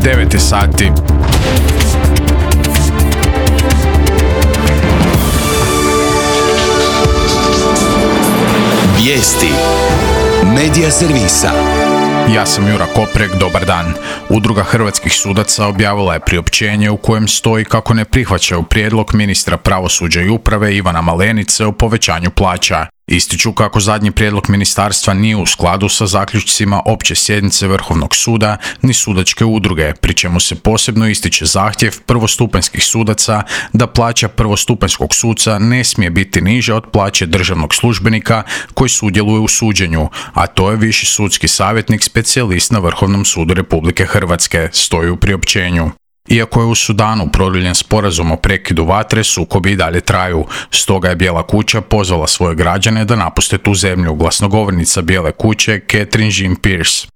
9 sati. Vijesti Medija servisa. Ja sam Jura Koprek, dobar dan. Udruga hrvatskih sudaca objavila je priopćenje u kojem stoji kako ne prihvaćaju prijedlog ministra pravosuđa i uprave Ivana Malenice o povećanju plaća. Ističu kako zadnji prijedlog ministarstva nije u skladu sa zaključcima opće sjednice Vrhovnog suda ni sudačke udruge, pri čemu se posebno ističe zahtjev prvostupanjskih sudaca da plaća prvostupanjskog suca ne smije biti niža od plaće državnog službenika koji sudjeluje u suđenju, a to je viši sudski savjetnik specijalist na Vrhovnom sudu Republike Hrvatske, stoji u priopćenju. Iako je u Sudanu produljen sporazum o prekidu vatre, sukobi i dalje traju. Stoga je Bijela kuća pozvala svoje građane da napuste tu zemlju, glasnogovornica Bijele kuće Catherine Jean-Pierce.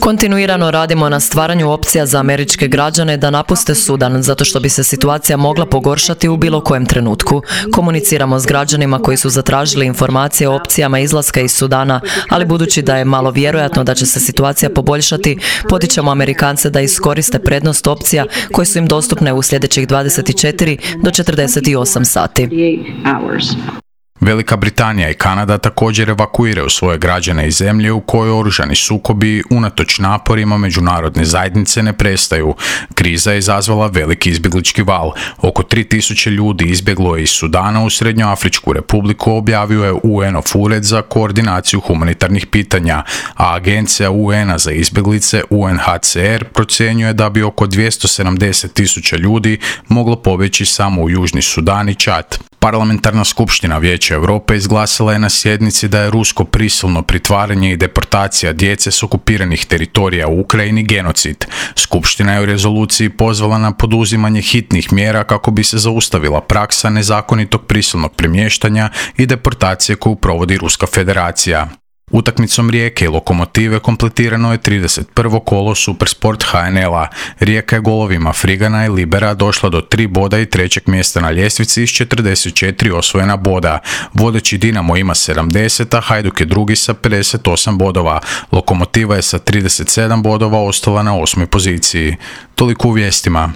Kontinuirano radimo na stvaranju opcija za američke građane da napuste Sudan, zato što bi se situacija mogla pogoršati u bilo kojem trenutku. Komuniciramo s građanima koji su zatražili informacije o opcijama izlaska iz Sudana, ali budući da je malo vjerojatno da će se situacija poboljšati, potičemo Amerikance da iskoriste prednost opcija koje su im dostupne u sljedećih 24 do 48 sati. Velika Britanija i Kanada također evakuiraju svoje građane iz zemlje u kojoj oružani sukobi unatoč naporima međunarodne zajednice ne prestaju. Kriza je izazvala veliki izbjeglički val. Oko 3000 ljudi izbjeglo je iz Sudana u Srednjoafričku republiku, objavio je UN-ov ured za koordinaciju humanitarnih pitanja, a agencija UN-a za izbjeglice UNHCR procjenjuje da bi oko 270.000 ljudi moglo pobjeći samo u Južni Sudan i Čad. Parlamentarna skupština Vijeća Europe izglasila je na sjednici da je rusko prisilno pritvaranje i deportacija djece s okupiranih teritorija u Ukrajini genocid. Skupština je u rezoluciji pozvala na poduzimanje hitnih mjera kako bi se zaustavila praksa nezakonitog prisilnog premještanja i deportacije koju provodi Ruska federacija. Utakmicom Rijeke i Lokomotive kompletirano je 31. kolo Supersport HNL-a. Rijeka je golovima Frigana i Libera došla do 3 boda i 3. mjesta na ljestvici s 44 osvojena boda. Vodeći Dinamo ima 70, a Hajduk je drugi sa 58 bodova. Lokomotiva je sa 37 bodova ostala na 8. poziciji. Toliko u vijestima.